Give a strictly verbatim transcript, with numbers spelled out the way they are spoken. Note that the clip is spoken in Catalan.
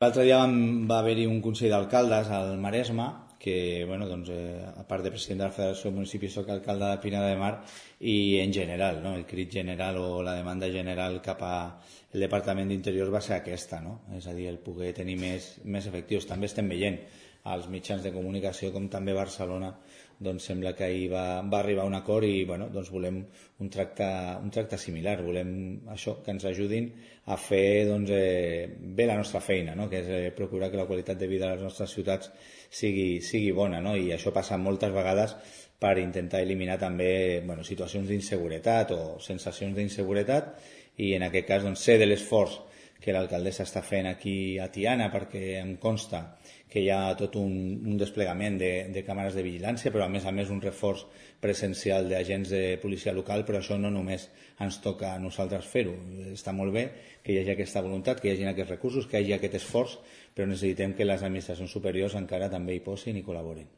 L'altre dia vam- va haver-hi un Consell d'Alcaldes al Maresme que, bueno, doncs, eh, a part de president de la Federació de Municipis, soc alcalde de Pina de Mar i en general, no? El crit general o la demanda general cap al Departament d'Interior va ser aquesta, no? És a dir, el poder tenir més, més efectius. També estem veient als mitjans de comunicació com també Barcelona, doncs sembla que ahir va, va arribar a un acord i, bueno, doncs volem un tracte, un tracte similar, volem això, que ens ajudin a fer, doncs, eh, bé la nostra feina, no? Que és eh, procurar que la qualitat de vida de les nostres ciutats sigui, sigui bona, no? I això passa moltes vegades per intentar eliminar també, bueno, situacions d'inseguretat o sensacions d'inseguretat, i en aquest cas, doncs, sé de l'esforç que l'alcaldessa està fent aquí a Tiana, perquè em consta que hi ha tot un, un desplegament de, de càmeres de vigilància, però a més a més un reforç presencial d'agents de policia local, però això no només ens toca a nosaltres fer-ho. Està molt bé que hi hagi aquesta voluntat, que hi hagi aquests recursos, que hi hagi aquest esforç, però necessitem que les administracions superiors encara també hi posin i col·laborin.